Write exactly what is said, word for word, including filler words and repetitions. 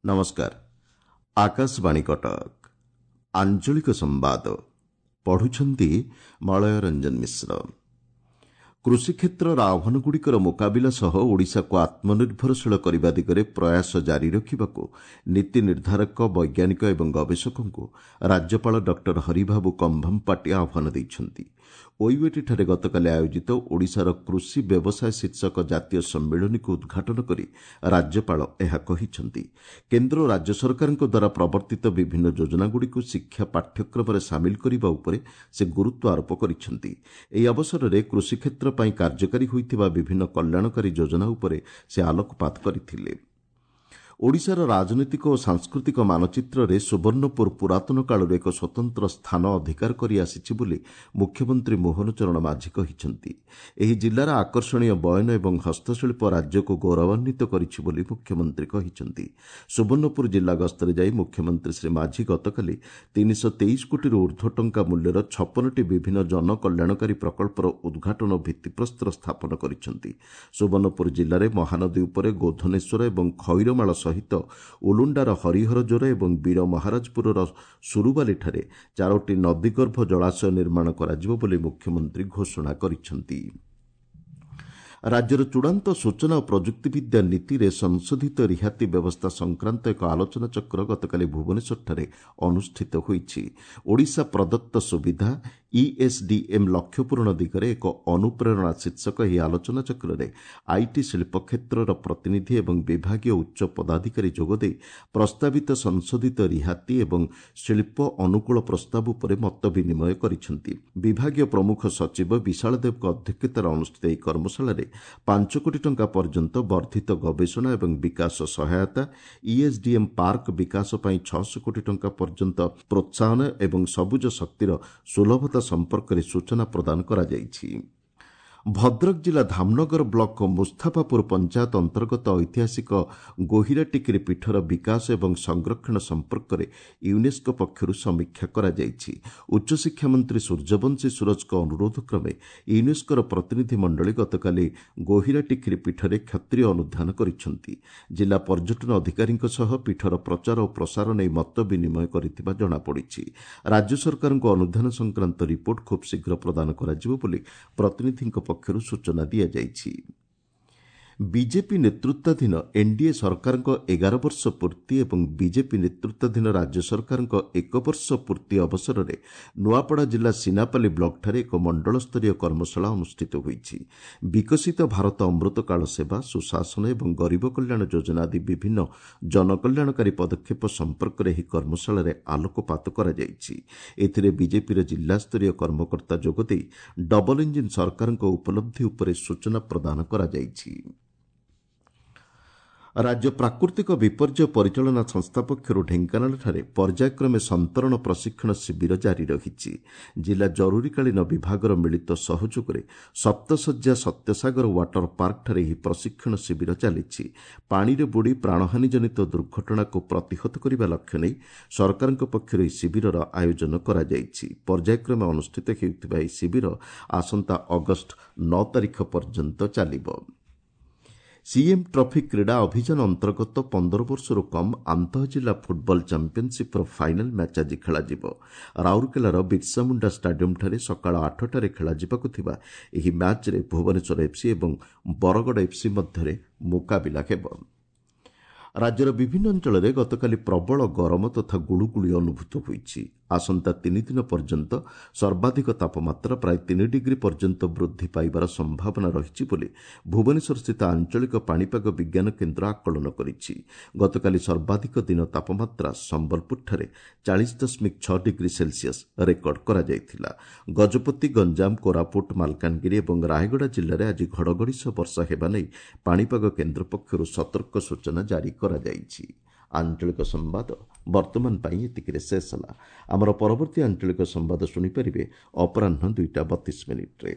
ନମସ୍କାର ଆକାଶବାଣୀ କଟକ ଆଞ୍ଚଳିକ ସମ୍ବାଦ ପଢୁଛନ୍ତି ମଳୟ ରଞ୍ଜନ ମିଶ୍ର କୃଷି କ୍ଷେତ୍ରର ଆହ୍ୱାନଗୁଡ଼ିକର ମୁକାବିଲା ସହ ଓଡ଼ିଶାକୁ ଆତ୍ମନିର୍ଭରଶୀଳ କରିବା ଦିଗରେ ପ୍ରୟାସ ଜାରି ରଖିବାକୁ ନୀତି ନିର୍ଦ୍ଧାରକ ବୈଜ୍ଞାନିକ ଏବଂ ଗବେଷକଙ୍କୁ ରାଜ୍ୟପାଳ ଡକ୍ଟର ହରିବାବୁ କମ୍ଭମପାଟି ଆହ୍ୱାନ ଦେଇଛନ୍ତି ଓୟୁଏଟିଠାରେ ଗତକାଲି ଆୟୋଜିତ ଓଡ଼ିଶାର କୃଷି ବ୍ୟବସାୟ ଶୀର୍ଷକ ଜାତୀୟ ସମ୍ମିଳନୀକୁ ଉଦ୍ଘାଟନ କରି ରାଜ୍ୟପାଳ ଏହା କହିଛନ୍ତି କେନ୍ଦ୍ର ଓ ରାଜ୍ୟ ସରକାରଙ୍କ ଦ୍ୱାରା ପ୍ରବର୍ତ୍ତିତ ବିଭିନ୍ନ ଯୋଜନାଗୁଡ଼ିକୁ ଶିକ୍ଷା ପାଠ୍ୟକ୍ରମରେ ସାମିଲ କରିବା ଉପରେ ସେ ଗୁରୁତ୍ୱ ଆରୋପ କରିଛନ୍ତି ଏହି ଅବସରରେ କୃଷି କ୍ଷେତ୍ର ପାଇଁ କାର୍ଯ୍ୟକାରୀ ହୋଇଥିବା ବିଭିନ୍ନ କଲ୍ୟାଣକାରୀ ଯୋଜନା ଉପରେ ସେ ଆଲୋକପାତ କରିଥିଲେ ଓଡ଼ିଶାର ରାଜନୈତିକ ଓ ସାଂସ୍କୃତିକ ମାନଚିତ୍ରରେ ସୁବର୍ଣ୍ଣପୁର ପୁରାତନ କାଳରୁ ଏକ ସ୍ୱତନ୍ତ୍ର ସ୍ଥାନ ଅଧିକାର କରି ଆସିଛି ବୋଲି ମୁଖ୍ୟମନ୍ତ୍ରୀ ମୋହନ ଚରଣ ମାଝୀ କହିଛନ୍ତି ଏହି ଜିଲ୍ଲାର ଆକର୍ଷଣୀୟ ବୟନ ଏବଂ ହସ୍ତଶିଳ୍ପ ରାଜ୍ୟକୁ ଗୌରବାନ୍ୱିତ କରିଛି ବୋଲି ମୁଖ୍ୟମନ୍ତ୍ରୀ କହିଛନ୍ତି ସୁବର୍ଣ୍ଣପୁର ଜିଲ୍ଲା ଗସ୍ତରେ ଯାଇ ମୁଖ୍ୟମନ୍ତ୍ରୀ ଶ୍ରୀ ମାଝୀ ଗତକାଲି ତିନିଶହ ତେଇଶ କୋଟିରୁ ଉର୍ଦ୍ଧ୍ୱ ଟଙ୍କା ମୂଲ୍ୟର ଛପନଟି ବିଭିନ୍ନ ଜନକଲ୍ୟାଣକାରୀ ପ୍ରକଳ୍ପର ଉଦ୍ଘାଟନ ଓ ଭିତ୍ତିପ୍ରସ୍ତର ସ୍ଥାପନ କରିଛନ୍ତି ସୁବର୍ଣ୍ଣପୁର ଜିଲ୍ଲାରେ ମହାନଦୀ ଉପରେ ଗୋଧନେଶ୍ୱର ଏବଂ ଖଇରମାଳ ସହିତ ଉଲୁଣ୍ଡାର ହରିହରଜୋର ଏବଂ ବୀର ମହାରାଜପୁରର ସୁରୁବାଲିଠାରେ ଚାରୋଟି ନଦୀଗର୍ଭ ଜଳାଶୟ ନିର୍ମାଣ କରାଯିବ ବୋଲି ମୁଖ୍ୟମନ୍ତ୍ରୀ ଘୋଷଣା କରିଛନ୍ତି ରାଜ୍ୟର ଚୂଡ଼ାନ୍ତ ସୂଚନା ଓ ପ୍ରଯୁକ୍ତିବିଦ୍ୟା ନୀତିରେ ସଂଶୋଧିତ ରିହାତି ବ୍ୟବସ୍ଥା ସଂକ୍ରାନ୍ତ ଏକ ଆଲୋଚନାଚକ୍ର ଗତକାଲି ଭୁବନେଶ୍ୱରଠାରେ ଅନୁଷ୍ଠିତ ହୋଇଛି ଓଡ଼ିଶା ପ୍ରଦତ୍ତ ସୁବିଧା ଇଏସ୍ଡିଏମ୍ ଲକ୍ଷ୍ୟ ପୂରଣ ଦିଗରେ ଏକ ଅନୁପ୍ରେରଣା ଶୀର୍ଷକ ଏହି ଆଲୋଚନାଚକ୍ରରେ IT ଶିଳ୍ପ କ୍ଷେତ୍ରର ପ୍ରତିନିଧି ଏବଂ ବିଭାଗୀୟ ଉଚ୍ଚ ପଦାଧିକାରୀ ଯୋଗଦେଇ ପ୍ରସ୍ତାବିତ ସଂଶୋଧିତ ରିହାତି ଏବଂ ଶିଳ୍ପ ଅନୁକୂଳ ପ୍ରସ୍ତାବ ଉପରେ ମତ ବିନିମୟ କରିଛନ୍ତି ବିଭାଗୀୟ ପ୍ରମୁଖ ସଚିବ ବିଶାଳ ଦେବଙ୍କ ଅଧ୍ୟକ୍ଷତାରେ ଅନୁଷ୍ଠିତ ଏହି କର୍ମଶାଳାରେ ପାଞ୍ଚ କୋଟି ଟଙ୍କା ପର୍ଯ୍ୟନ୍ତ ବର୍ଦ୍ଧିତ ଗବେଷଣା ଏବଂ ବିକାଶ ସହାୟତା ଇଏସ୍ଡିଏମ୍ ପାର୍କ ବିକାଶ ପାଇଁ ଛଅଶହ କୋଟି ଟଙ୍କା ପର୍ଯ୍ୟନ୍ତ ପ୍ରୋତ୍ସାହନ ଏବଂ ସବୁଜ ଶକ୍ତିର ସୁଲଭତା ସମ୍ପର୍କରେ ସୂଚନା ପ୍ରଦାନ କରାଯାଇଛି ଭଦ୍ରକ ଜିଲ୍ଲା ଧାମନଗର ବ୍ଲକ ମୁସ୍ତାଫାପୁର ପଞ୍ଚାୟତ ଅନ୍ତର୍ଗତ ଐତିହାସିକ ଗୋହିରାଟିକିରି ପୀଠର ବିକାଶ ଏବଂ ସଂରକ୍ଷଣ ସମ୍ପର୍କରେ ୟୁନେସ୍କୋ ପକ୍ଷରୁ ସମୀକ୍ଷା କରାଯାଇଛି ଉଚ୍ଚଶିକ୍ଷା ମନ୍ତ୍ରୀ ସୂର୍ଯ୍ୟବଂଶୀ ସୁରଜଙ୍କ ଅନୁରୋଧ କ୍ରମେ ୟୁନେସ୍କୋର ପ୍ରତିନିଧି ମଣ୍ଡଳୀ ଗତକାଲି ଗୋହିରାଟିକିରି ପୀଠରେ କ୍ଷତ୍ରିୟ ଅନୁଧ୍ୟାନ କରିଛନ୍ତି ଜିଲ୍ଲା ପର୍ଯ୍ୟଟନ ଅଧିକାରୀଙ୍କ ସହ ପୀଠର ପ୍ରଚାର ଓ ପ୍ରସାର ନେଇ ମତ ବିନିମୟ କରିଥିବା ଜଣାପଡ଼ିଛି ରାଜ୍ୟ ସରକାରଙ୍କୁ ଅନୁଧ୍ୟାନ ସଂକ୍ରାନ୍ତ ରିପୋର୍ଟ ଖୁବ୍ ଶୀଘ୍ର ପ୍ରଦାନ କରାଯିବ ବୋଲି ପ୍ରତିନିଧିଙ୍କ ପକ୍ଷରୁ ସୂଚନା ଦିଆଯାଇଛି ବିଜେପି ନେତୃତ୍ୱାଧୀନ ଏନ୍ଡିଏ ସରକାରଙ୍କ ଏଗାର ବର୍ଷ ପୂର୍ତ୍ତି ଏବଂ ବିଜେପି ନେତୃତ୍ୱାଧୀନ ରାଜ୍ୟ ସରକାରଙ୍କ ଏକ ବର୍ଷ ପୂର୍ତ୍ତି ଅବସରରେ ନୂଆପଡ଼ା ଜିଲ୍ଲା ସିନାପାଲି ବ୍ଲକଠାରେ ଏକ ମଣ୍ଡଳସ୍ତରୀୟ କର୍ମଶାଳା ଅନୁଷ୍ଠିତ ହୋଇଛି ବିକଶିତ ଭାରତ ଅମୃତକାଳ ସେବା ସୁଶାସନ ଏବଂ ଗରିବ କଲ୍ୟାଣ ଯୋଜନା ଆଦି ବିଭିନ୍ନ ଜନକଲ୍ୟାଣକାରୀ ପଦକ୍ଷେପ ସମ୍ପର୍କରେ ଏହି କର୍ମଶାଳାରେ ଆଲୋକପାତ କରାଯାଇଛି ଏଥିରେ ବିଜେପିର ଜିଲ୍ଲାସ୍ତରୀୟ କର୍ମକର୍ତ୍ତା ଯୋଗଦେଇ ଡବଲ ଇଞ୍ଜିନ୍ ସରକାରଙ୍କ ଉପଲବ୍ଧି ଉପରେ ସୂଚନା ପ୍ରଦାନ କରାଯାଇଛି ରାଜ୍ୟ ପ୍ରାକୃତିକ ବିପର୍ଯ୍ୟୟ ପରିଚାଳନା ସଂସ୍ଥା ପକ୍ଷରୁ ଢେଙ୍କାନାଳଠାରେ ପର୍ଯ୍ୟାୟକ୍ରମେ ସନ୍ତରଣ ପ୍ରଶିକ୍ଷଣ ଶିବିର ଜାରି ରହିଛି ଜିଲ୍ଲା ଜରୁରୀକାଳୀନ ବିଭାଗର ମିଳିତ ସହଯୋଗରେ ସପ୍ତଶଯ୍ୟା ସତ୍ୟସାଗର ୱାଟର ପାର୍କଠାରେ ଏହି ପ୍ରଶିକ୍ଷଣ ଶିବିର ଚାଲିଛି ପାଣିରେ ବୁଡ଼ି ପ୍ରାଣହାନୀଜନିତ ଦୁର୍ଘଟଣାକୁ ପ୍ରତିହତ କରିବା ଲକ୍ଷ୍ୟ ନେଇ ସରକାରଙ୍କ ପକ୍ଷରୁ ଏହି ଶିବିରର ଆୟୋଜନ କରାଯାଇଛି ପର୍ଯ୍ୟାୟକ୍ରମେ ଅନୁଷ୍ଠିତ ହେଉଥିବା ଏହି ଶିବିର ଆସନ୍ତା ଅଗଷ୍ଟ ନଅ ତାରିଖ ପର୍ଯ୍ୟନ୍ତ ଚାଲିବ ସିଏମ୍ ଟ୍ରଫି କ୍ରୀଡ଼ା ଅଭିଯାନ ଅନ୍ତର୍ଗତ ପନ୍ଦର ବର୍ଷରୁ କମ୍ ଆନ୍ତଃଜିଲ୍ଲା ଫୁଟବଲ ଚାମ୍ପିୟନସିପ୍ର ଫାଇନାଲ୍ ମ୍ୟାଚ୍ ଆଜି ଖେଳାଯିବ ରାଉରକେଲାର ବିର୍ସାମୁଣ୍ଡା ଷ୍ଟାଡିୟମ୍ଠାରେ ସକାଳ ଆଠଟାରେ ଖେଳାଯିବାକୁ ଥିବା ଏହି ମ୍ୟାଚ୍ରେ ଭୁବନେଶ୍ୱର ଏଫ୍ସି ଏବଂ ବରଗଡ଼ ଏଫ୍ସି ମଧ୍ୟରେ ମୁକାବିଲା ହେବ ରାଜ୍ୟର ବିଭିନ୍ନ ଅଞ୍ଚଳରେ ଗତକାଲି ପ୍ରବଳ ଗରମ ତଥା ଗୁଳୁଗୁଳି ଅନୁଭୂତ ହୋଇଛି ଆସନ୍ତା ତିନି ଦିନ ପର୍ଯ୍ୟନ୍ତ ସର୍ବାଧିକ ତାପମାତ୍ରା ପ୍ରାୟ ତିନି ଡିଗ୍ରୀ ପର୍ଯ୍ୟନ୍ତ ବୃଦ୍ଧି ପାଇବାର ସମ୍ଭାବନା ରହିଛି ବୋଲି ଭୁବନେଶ୍ୱରସ୍ଥିତ ଆଞ୍ଚଳିକ ପାଣିପାଗ ବିଜ୍ଞାନ କେନ୍ଦ୍ର ଆକଳନ କରିଛି ଗତକାଲି ସର୍ବାଧିକ ଦିନ ତାପମାତ୍ରା ସମ୍ବଲପୁରଠାରେ ଚାଳିଶ ଦଶମିକ ଛଅ ଡିଗ୍ରୀ ସେଲସିୟସ୍ ରେକର୍ଡ କରାଯାଇଥିଲା ଗଜପତି ଗଞ୍ଜାମ କୋରାପୁଟ ମାଲକାନଗିରି ଏବଂ ରାୟଗଡ଼ା ଜିଲ୍ଲାରେ ଆଜି ଘଡ଼ଘଡ଼ି ସହ ବର୍ଷା ହେବା ନେଇ ପାଣିପାଗ କେନ୍ଦ୍ର ପକ୍ଷରୁ ସତର୍କ ସୂଚନା ଜାରି କରାଯାଇଛି ଆଞ୍ଚଳିକ ସମ୍ବାଦ ବର୍ତ୍ତମାନ ପାଇଁ ଏତିକିରେ ଶେଷ ହେଲା ଆମର ପରବର୍ତ୍ତୀ ଆଞ୍ଚଳିକ ସମ୍ବାଦ ଶୁଣିପାରିବେ ଅପରାହ୍ନ ଦୁଇଟା ବତିଶ ମିନିଟ୍ରେ